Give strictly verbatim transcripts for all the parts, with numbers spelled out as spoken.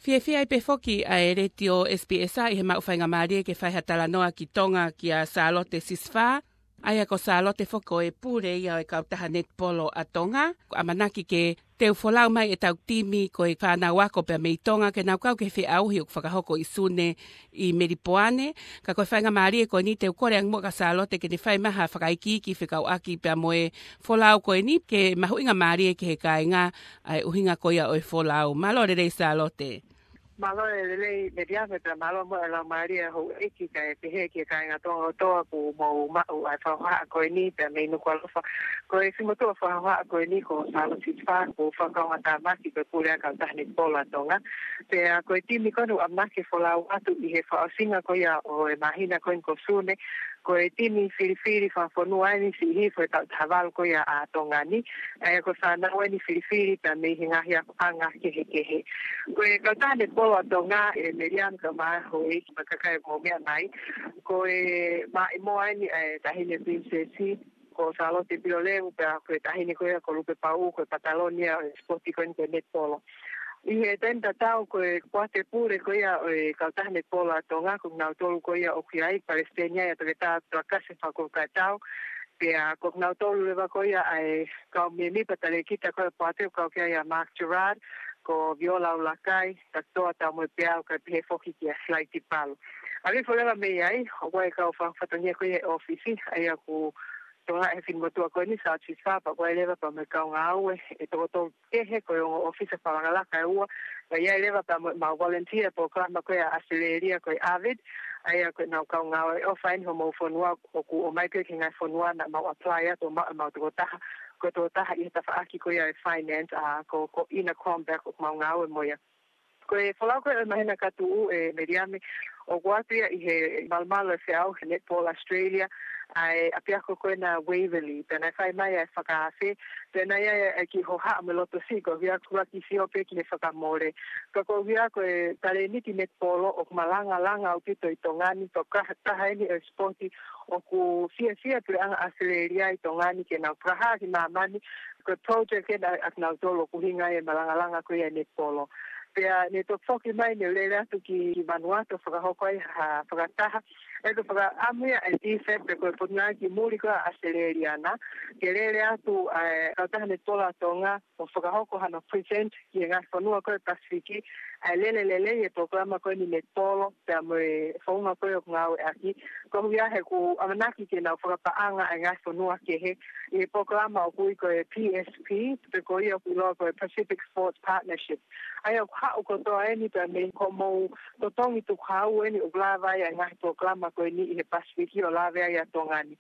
Fiefia ai pē foki ʻa e Letiō S B S ʻi he maʻu faingamālie ke fai ha talanoa ki Tonga kia Sālote Sisifā, ʻa ia ko Sālote foki ko e pule ia ʻo e kautaha netipolo ʻa Tonga. ʻOku ʻamanaki ke teu folau mai ʻetau timi ko e fānau ako pea mei Tonga ke nau kau ki he feʻauhi ʻoku fakahoko ʻi Sune ʻi Melipoane. Ka ko e faingamālie ko eni te u kole ange muʻa kia Sālote ke ne fai mai ha fakaikiiki fekauʻaki pea mo e folau ko eni ke mahuʻinga mālie ki he kāinga ʻa e ʻuhinga ko ia ʻo e folau. Mālō e lelei Sālote. Mālō e lelei Meliame pea mālō muʻa e laumālie ʻa houʻeiki kae pehē ki he kāinga Tonga kotoa kuo mou maʻu ʻa e fakahohaʻa ko eni pea mei Nukuʻalofa. Ko e fiemaʻu fakahohaʻa ko eni ko Sālote Sisifā, ko e fakaʻofoʻofa tāmaki ko e pule ʻa e kautaha netipolo ʻa Tonga. Pea ko e timi ko eni ʻoku ʻamanaki ke folau atu ʻi he fakaʻosinga ko ia ʻo e māhina ko eni ko Sune, ko e timi filifili fakafonua eni siʻi hifo ʻe taha valu ko ia ʻa Tonga ni, ʻa ia ko e fānau eni filifili pea mei he ngaahi akoʻanga kehekehe. Ko e kautaha netipolo ʻa Tonga, ʻe Meliame kae ʻumaʻā houʻeiki mo e kakai ʻoku mou meʻa mai, ko e maʻimoa eni ʻa e taʻahine Pilinisesi, ko Sālote Pilolevu, pea ko e taʻahine ko ia ko Lupe Pauʻu, ko e pataloni ia ʻo e sipoti ko eni ko e netipolo. ʻI he taimi tatau ko e poate pule ko ia ʻo e kautaha netipolo ʻa Tonga, ko kinautolu ko ia ʻoku ʻi ai, palesiteni ia ʻa Toketā Tuakasi Fakulukaitau, pea ko kinautolu leva ko ia ʻa e kau mēmipa talēkita ko ia ʻo e poate ʻoku kau ki ai ʻa Mark Gerard, ko Viola ʻUlakai, Tatoa Taumoepeau kae pehē foki kia Flighty Palu. ʻAlu hifo leva mei ai, ʻoku ʻi ai e kau fakafatongia ko ia he ʻōfisi, ʻa ia ʻoku tokangaʻi ʻe he finemotuʻa ko eni Sālote Sisifā, pea ʻoku ʻi ai leva pea mo e kau ngāue ʻe toko tolu kehe, ko e ongo ʻōfisa fakalakalaka ʻe ua, pea ʻi ai leva pea mo ʻemau volunteer polokalama ko ia ʻa ʻAositelēlia ko e AVID, ʻa ia ko ʻenau kau ngāue ʻofa eni homou fonua, ʻoku ʻomai pē ki he ngaahi fonua naʻa mau apply atu ʻo maʻu ʻemau tokotaha, ko e tokotaha ʻi he tafaʻaki ko ia ʻo e finance, ʻa ko, ko Ina Krombeck ʻoku mau ngāue mo ia. Ko e folau ko ē ʻo e māhina ka tuʻu ʻe Meliame, ʻoku ʻoatu ia ʻi he malumalu ʻo e feʻauhi netipolo Australia, ʻa e ʻapiako ko ena Waverley, pea naʻe fai mai ʻa e fakaafe, pea naʻe ʻi ai e kiʻi hohaʻa mo e loto siʻi koeʻuhi ko e ʻuluaki sio pē ki he fakamole. Ka koeʻuhi ko e talēniti netipolo ʻoku malangalanga ʻaupito ʻi Tonga ni, ko e taha, taha eni ʻo e sipoti ʻoku fiefia e puleʻanga ʻAositelēlia ʻi Tonga ni ke nau fakahā ki māmani, ko e project ena ʻa kinautolu ʻoku ʻuhinga ʻi he malangalanga ko ia ʻo e netipolo. Pea ne toki foki mai ne u lele atu ki, ki Vanuatu ʻo fakahoko ai ha fakataha. ʻE ko e fakaʻamu ia ʻa e DFAT pe ko e Potungāue ki Muli ko ia ʻa ʻAositelēlia na, ke lele atu ʻa e kautaha netipolo ʻa Tonga ʻo fakahoko hano present ki he ngaahi fonua ko ia ʻo e Pasifiki, ʻa e lele lelei e polokalama ko eni netipolo, pea mo e founga ko ia ʻoku ngāueʻaki, koeʻuhi he ʻoku ʻamanaki ke nau fakapaʻanga ʻa e ngaahi fonua kehe ʻi he polokalama ʻoku ui ko e P S P, pe ko ia ʻoku ʻiloa ko e Pacific Sports Partnership. ʻA ia ʻoku haʻu kotoa eni pea mei homou totongi tukuhau eni ʻoku lava ai ʻa e ngaahi polokalama ko eni ʻi he Pasifiki ʻo lave ai ʻa Tonga ni.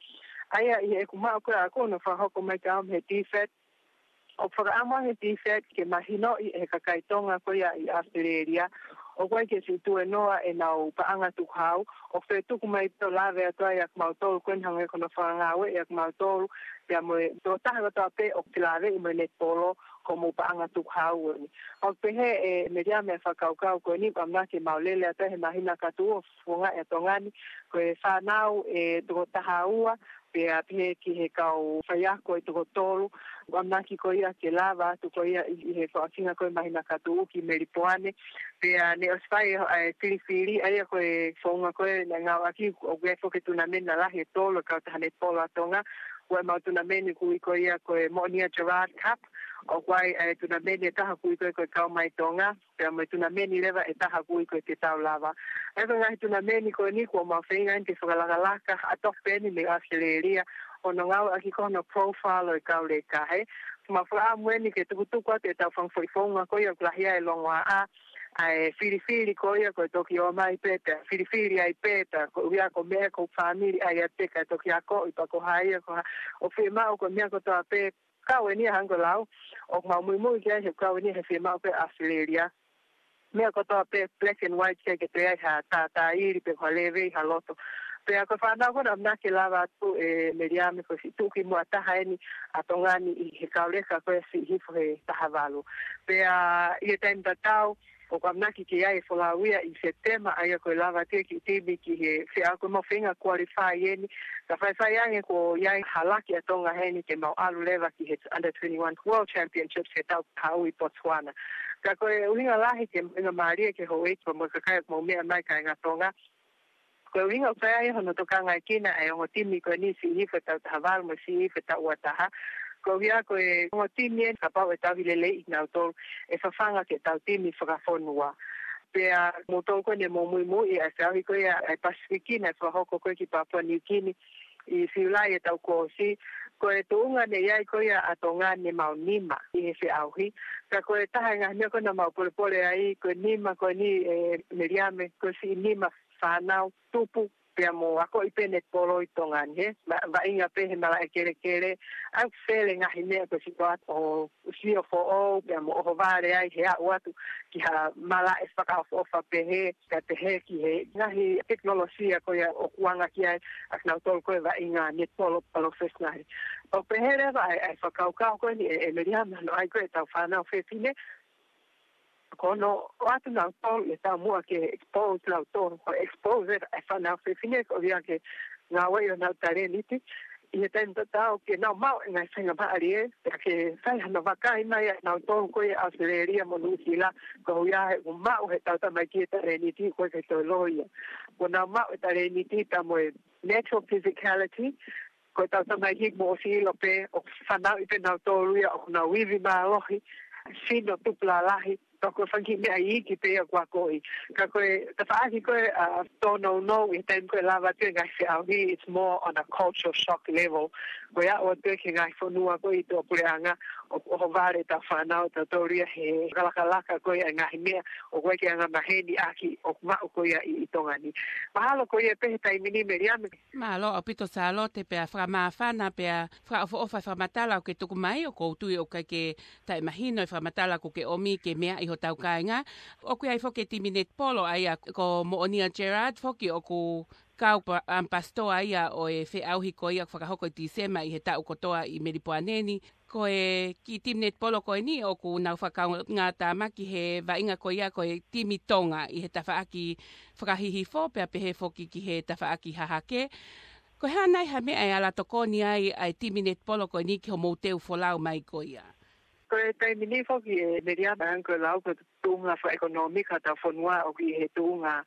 ʻA ia ʻi heʻeku maʻu ko ia ʻaʻaku hono fakahoko mai kiate au mei he DFAT, ʻoku fakaʻamu ange e DFAT ke mahinoʻi ʻe he kakai Tonga ko ia ʻi ʻAositelēlia ʻoku ʻikai ke siʻi tuēnoa ʻenau paʻanga tukuhau, ʻoku toe tuku mai pē ʻo lave atu ai ʻa kimautolu ko eni hangē ko hono fakangāueʻi ʻa kimautolu, pea mo e tokotaha kotoa pē ʻoku felāveʻi mo e netipolo, ko homou paʻanga tukuhau eni. ʻOku pehē ʻe Meliame ʻa e fakakaukau ko eni, ʻoku ʻamanaki ke mau lele atu ai he māhina ka tuʻu ʻo fofongaʻi ʻa Tonga ni, ko e fānau ʻe toko taha ua, pea pehē ki he kau faiako ʻe toko tolu, ʻoku ʻamanaki ko ia ke lava atu ko ia ʻi, ʻi he fakaʻosinga ko ia ʻo e māhina ka tuʻu ki Melipoane. Pea ne ʻosi fai ʻa e filifili, ʻa ia ko e founga ko ē naʻe ngāueʻaki, ʻoku ʻi ai foki e tunameni lalahi ʻe tolu ʻa e kautaha netipolo ʻa Tonga, ʻoku ʻi ai ʻemau tunameni ʻoku ui ko ia ko e Moʻonia Gerard Cup, ʻoku ʻi ai e tunameni ʻe taha ʻoku ui ko ia ko e Kau Mai Tonga, pea mo e tunameni leva ʻe taha ʻoku ui ko e Te Tau Lava. ʻA ia ko e ngaahi tunameni ko eni kuo mau feinga eni ke fakalakalaka, ʻa e tofu pē eni mei ʻAositelēlia, ʻo ngāueʻaki ko hono profile ʻo e kau leka he. Mau fakaʻamu eni ke tukutuku atu ʻetau fanga foʻi founga ko ia ʻoku lahi ai e longoaʻa, ʻa e filifili ko ia ko e toki ō mai pē, pea filifili ai pē, pea koeʻuhi ko e meʻa ko e fāmili ʻa ia pē kae toki akoʻi pe ko hai ia ko ha, ʻoku fiemaʻu ko e meʻa kotoa pē, kau eni ia hangē ko e lau ʻoku mau muimui ki ai he kau eni ia he fiemaʻu pē ʻa ʻAositelēlia. Meʻa kotoa pē black and white, ʻikai ke toe ʻi ai ha tātāʻili pe ko ha lēvei ha loto. Pea ko e fānau ko ena ʻoku ʻamanaki ke lava atu ʻe Meliame, ko e siʻi tuʻukimuʻa taha eni ʻa Tonga ni ʻi he kau leka ko ia siʻi hifo he taha valu. Pea ʻi he taimi tatau, ʻOku ʻamanaki ke ʻi ai e folau ia ʻi Sepitema, ʻa ia ko e lava atu e kiʻi timi ki he feʻauhi, ko e mau feinga qualify eni. Ka faifai ange kuo ʻi ai ha laki ʻa Tonga heni ke mau ʻalu leva ki he Under twenty-one World Championships he taʻu kahaʻu ʻi Botswana. Ka ko e ʻuhinga lahi ke ʻuhinga mālie ki he houʻeiki pea mo e kakai ʻoku mau meʻa mai, kāinga Tonga. Ko e ʻuhinga ʻoku fai ai hono tokangaekina e ongo timi ko eni, siʻi hifo e taʻu taha valu mo e siʻi hifo e taʻu ua taha. Koeʻuhi ko e ongo timi eni, kapau ʻe tauhi lelei kinautolu, ʻe fafanga ke tau timi fakafonua. Pea moutolu ko eni ʻoku mou muimui ʻi he feʻauhi ko ia ʻa e Pasifiki naʻe fakahoko ko ē ki Papua New Guinea ʻi Siulai e taʻu kuo ʻosi. Ko e tuʻunga naʻe ʻi ai ko ia ʻa Tonga naʻe mau nima ʻi he feʻauhi. Ka ko e taha e ngaahi meʻa ko ē naʻa mau polepole ai, ko e nima ko eni, ē Meliame, ko e siʻi nima fānau tupu pea mo akoʻi pē netipolo ʻi Tonga ni, he ma-, vaʻinga pē he malaʻe kelekele, ʻa e fele ngaahi meʻa ko e sitoa ʻo sio foʻou, pea mo ʻohovale ai he aʻu atu ki ha malaʻe fakaʻofoʻofa pehē, kae pehē ki he ngaahi tekinolosia ko ia ʻoku anga ki ai ʻa kinautolu ko e vaʻinga netipolo palofesinale. ʻOku pehē leva ʻa e, ʻa e fakakaukau ko eni ē, ē Meliame, hono ʻai ko ē ʻetau fānau fefine, ko hono ʻoatu kinautolu e taumuʻa ke expose kinautolu, ko e expose e fānau fefine koeʻuhi ke ngāueʻi honau talēniti ʻi he taimi tatau ke nau maʻu e ngaahi faingamālie, pea ke fai hano vakai mai ʻa kinautolu ko ia ʻi ʻAositelēlia mo Nuʻusila, koeʻuhi he ʻoku maʻu heʻetau tamaiki e talēniti, ʻoku ʻikai ke toe loi ia. Kuo nau maʻu e talēniti pea mo e natural physicality, ko ʻetau tamaiki mo ʻosi ʻilo pē ʻoku fanauʻi pē kinautolu ia, ʻoku nau ivi mālohi, sino tupu lalahi, ka ko e fanga kiʻi meʻa iiki pē ia ʻoku akoʻi. Ka ko e tafaʻaki ko ē ʻa e tōnounou ʻi he taimi ko ē lava atu e ngaahi feʻauhi, it's more on a cultural shock level. Ko e aʻu atu ki he ngaahi fonua ko ē ʻi tuʻapuleʻanga, ʻo, ʻohovale ʻetau fānau, tautolu ia he fakalakalaka ko ē ʻa e ngaahi meʻa ʻoku ʻikai ke angamaheni ʻaki ʻoku maʻu ko ia ʻi, ʻi Tonga ni. Mahalo ko ia pē he taimi ni, Meliame. Mālō ʻaupito Sālote, pea fakamāfana pea fakaʻofoʻofa e fakamatala ʻoku ke tuku mai, ʻoku ou tui ʻoku ʻikai ke taʻemahino e fakamatala ʻoku ke ʻomi ke meaʻi hotau kāinga. ʻOku ʻi ai foki e timi netipolo ʻa ia ko Moʻonia Gerard foki ʻoku kau pa-, ʻampasitoa ia ʻo e feʻauhi ko ia ʻoku fakahoko ʻi Tīsema ʻi he taʻu kotoa ʻi Melipoane ni. Ko e kiʻi timi netipolo ko eni ʻoku nau fakakaungātāmaki he vaʻinga ko ia ko e timi Tonga ʻi he tafaʻaki fakahihifo pea pehē foki ki he tafaʻaki hahake. Ko e hā nai ha meʻa ʻe ala tokoni ai ʻa e timi netipolo ko eni ki hoʻomou teu folau mai ko ia? Ko e taimi ni foki ē Meliame, ko e lau ko e tuʻunga fakaʻekonōmika ʻetau fonua ʻoku ʻi he tuʻunga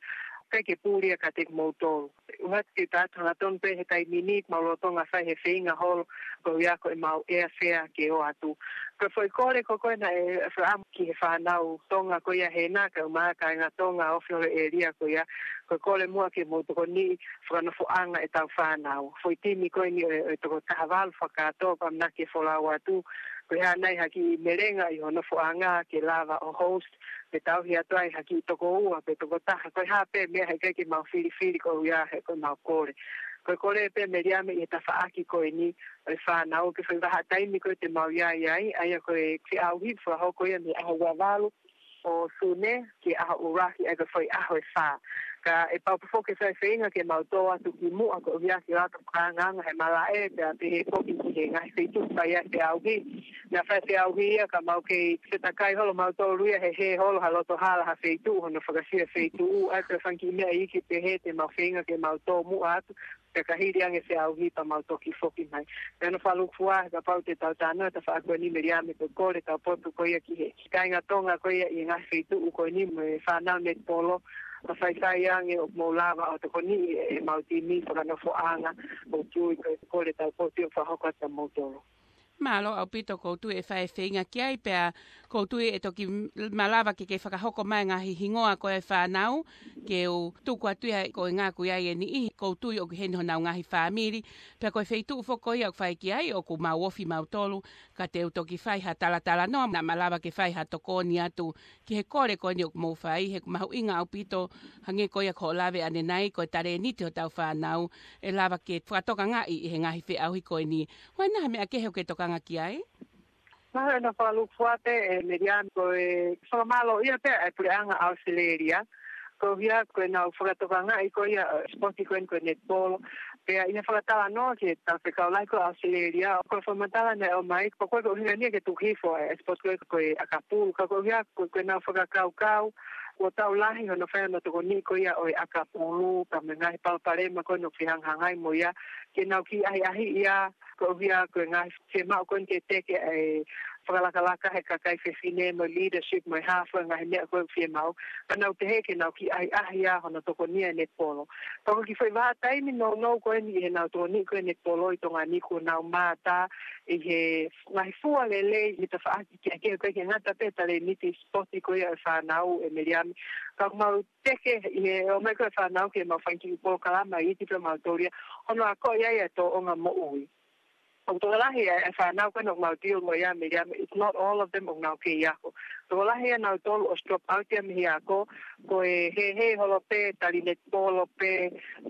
ʻikai ke puli ia kiate kimoutolu. ʻUhinga ke tau hangatonu pē he taimi ni, mau lolotonga fai e feinga holo, koeʻuhi ko ʻemau airfare ke ō atu. Ko e foʻi kole ko ē naʻe fakaʻamu ki he fānau Tonga ko ia hena, kae ʻumaʻā kāinga Tonga ʻoku ofi holo he ʻēlia ko ia, ko e kole muʻa ke mou tokoniʻi fakanofoʻanga ʻetau fānau. Foʻi timi ko eni ʻo e, ʻo e toko taha valu fakakātoa ʻoku ʻamanaki ke folau atu. Ko e hā nai ha kiʻi melenga ʻi ho nofoʻanga ke lava ʻo host, pe tauhi atu ai ha kiʻi toko ua pe toko taha, ko e hā pē meʻa, heʻikai ke mau filifili koeʻuhi he ko ʻemau kole. Ko e kole pē Meliame ʻi he tafaʻaki ko eni ʻo e fānau, ko e foʻi vahaʻa taimi ko ē te mau ʻi ai ai, ʻa ia ko e feʻauhi fakahoko ia mei he ʻaho ua valu ʻo Sune ki he ʻaho ʻuluaki, ʻa ia ko e foʻi ʻaho ʻe fā. Kae pau pē foki ke fai e feinga ke mau tō atu ki muʻa koeʻuhi ke ʻoatu e fakaangaanga he malaʻe, pea pehē foki ki he ngaahi feituʻu ʻoku fai ai e feʻauhi. Naʻa faʻa feʻauhi ia ka mau kei fetakai holo mautolu ia he hē holo ha loto hala ha feituʻu, hono fakasio e feituʻu, ʻa ia ko e fanga kiʻi meʻa iiki pehē te mau feinga ke mau tō muʻa atu, pea ka hili ange e feʻauhi pea mau toki foki mai. Pea ʻoku ou fakalūkufua he kapau te tau talanoa he tafaʻaki ko eni Meliame, ko e kole ʻetau potu ko ia ki he kāinga Tonga ko ia ʻi he ngaahi feituʻu ko eni mo e fānau netipolo, ka faifai ange ʻoku mou lava ʻo tokoniʻi ʻemau timi fakanofoʻanga, ʻoku ou tui ko e kole ʻetau potu ʻoku fakahoko atu kiate kimoutolu. Mālō ʻaupito, ʻoku ou tui ʻe fai e feinga ki ai, pea ʻoku ou tui ʻe toki malava ke ke fakahoko mai e ngaahi hingoa ko ē ʻo e fānau, ke u tuku atu ia ko e ngāue ʻa e niʻihi, ʻoku ou tui ʻoku ʻi heni honau ngaahi fāmili, pea ko e feituʻu foki ko ia ʻoku fai ki ai, ʻoku mau ofi mautolu, ka te u toki fai ha talatalanoa, naʻa malava ke fai ha tokoni atu ki he kole ko eni ʻoku mou fai, he ʻoku mahuʻinga ʻaupito, hangē ko ia ko hoʻo lave ʻanenai, ko e talēniti hotau fānau, ʻe lava ke fakatokangaʻi ʻi he ngaahi feʻauhi ko eni. Ko e hā nai ha meʻa kehe ʻoku ke tokanga ki ai? Mahalo ʻoku ou fakalūkufua pē ē Meliame, ko e fakamālōʻia pē ʻa e puleʻanga ʻAositelēlia, koeʻuhi ko ʻenau fakatokangaʻi ko ia e sipoti ko eni ko e netipolo. Pea ʻi he fakatalanoa ki he talafekau lahi ko ē ʻAositelēlia, ko e fakamatala naʻe ʻomai, ko e, ko e ʻuhinga ia ke tuku hifo e sipoti ko ē ko e ʻakapulu, ka koeʻuhi ko, ko ʻenau fakakaukau, Kuo tau lahi hono fai hono tokoniʻi ko ia ʻo e ʻakapulu, pea mo e ngaahi palopalema ko ē ʻoku fehangahangai mo ia, ke nau kiʻi ʻahiʻahiʻi ia, koeʻuhi ko e ngaahi fiemaʻu ko eni ke teke e fakalakalaka he kakai fefine mo e leadership mo e hā fua e ngaahi meʻa ko ē ʻoku fiemaʻu. Pea nau pehē ke nau kiʻi ʻahiʻahiʻi ia hono tokoniʻi e netipolo. Pea ko e kiʻi foʻi vahaʻa taimi nounou ko eni ʻi heʻenau tokoniʻi ko ē e netipolo ʻi Tonga ni kuo nau mātā ʻi he ngaahi fua lelei ʻi he tafaʻaki kehekehe, ʻikai ke ngata pē he talēniti sipoti ko ia ʻo e fānau, ʻe Meliami. Ka ʻoku mau teke ʻi he ʻomai ko ē e fānau ki heʻemau fanga kiʻi polokalama ʻi ʻIti pea mau tōlia hono akoʻi ai e tōʻonga moʻui. ʻOku tokolahi e, e fānau ko ena ʻoku mau deal mo ia, Meliami, it's not all of them ʻoku nau kei ako. Tokolahi ʻia nautolu ʻosi drop out ia mei he ako, ko e hēhē holo pē, tali netipolo pē,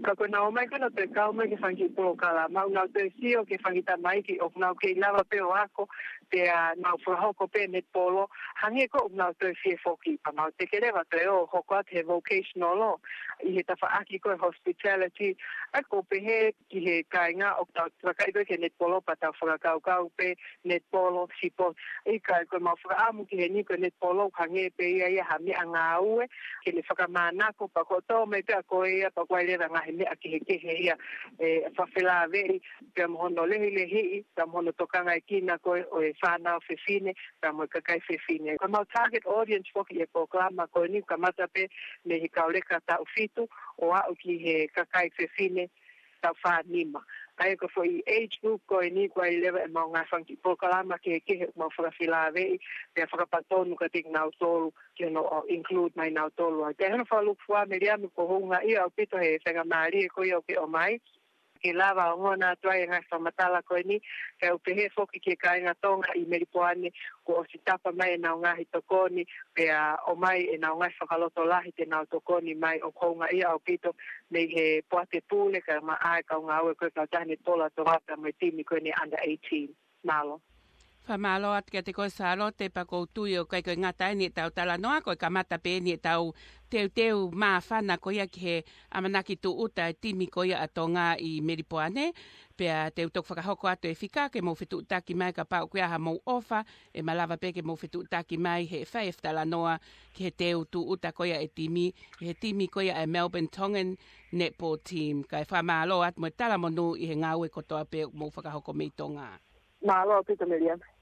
ka ko ʻenau ō mai ko ena ʻo toe kau mai ki he fanga kiʻi polokalama, ʻoku nau toe sio ki he fanga kiʻi tamaiki ʻoku nau kei lava pē ʻo ako, pea nau fakahoko pē netipolo, hangē ko ē ʻoku nau toe fie foki. Pea mau teke leva toe ō hoko atu he vocational law, ʻi he tafaʻaki ko ē hospitality, ʻa ia ʻoku ou pehē ki he kāinga ʻoku tau vakai ko ē ki he netipolo pea tau fakakaukau pē netipolo, sipoti. ʻIkai, ko ʻemau fakaʻamu ki heni ko e netipolo ʻoku hangē pē ia ia ha meʻangāue, ke ne fakamānako pea ko e tō mai pē ʻa koe ia pea ʻoku ʻi ai leva e ngaahi meʻa kehekehe ia, ʻe, fakafelāveʻi, pea mo hono lehilehiʻi, pea mo hono tokangaekina ko ē ʻo e fānau fefine, pea mo e kakai fefine. Ko ʻemau target audience foki ʻi he polokalama ko eni kamata pē mei he kau leka taʻu fitu ʻo aʻu ki he kakai fefine taʻu fā nima. ʻA ia ko e foʻi age group ko eni ʻoku ʻi ai leva ʻemau ngaahi fanga kiʻi polokalama kehekehe ʻoku mau fakafelāveʻi, pea fakapatonu kiate kinautolu ke nau include mai nautolu ai. Pea ʻi hono fakalūkufua, Meliami, ʻoku houngaʻia ʻaupito he faingamālie ko ia ʻoku ke ʻomai ke lava ʻo ongona atu ai e ngaahi fakamatala ko eni, pea ʻoku pehē foki ki he kāinga Tonga ʻi Melipoane, kuo ʻosi tapa mai ʻenau ngaahi tokoni, pea ʻomai ʻenau ngaahi fakalotolahi te nau tokoni mai. ʻOku houngaʻia ʻaupito mei he poate pule kae ʻumaʻā e kau ngāue ko ē kautaha netipolo ʻa Tonga pea mo e timi ko eni under eighteen. Mālō. Fakamālō atu kiate koe Sālote, pea ʻoku ou tui ʻoku ʻikai ko e ngata eni ʻetau talanoa, ko e kamata pē eni ʻetau teuteu māfana ko ia ki he ʻamanaki tūʻuta e timi ko ia ʻa Tonga ʻi Melipoane. Pea te u toki fakahoko atu e fika ke mou fetuʻutaki mai kapau ʻoku ʻi ai haʻamou ʻofa, ʻe malava pē ke mou fetuʻutaki mai he fai e fetalanoa ki he teu tūʻuta ko ia e timi, he timi ko ia e Melbourne Tongan Netball Team. Kae fakamālō atu mo e talamonū ʻi he ngāue kotoa pē ʻoku mou fakahoko mei Tonga. Mālō ʻaupito, Meliami.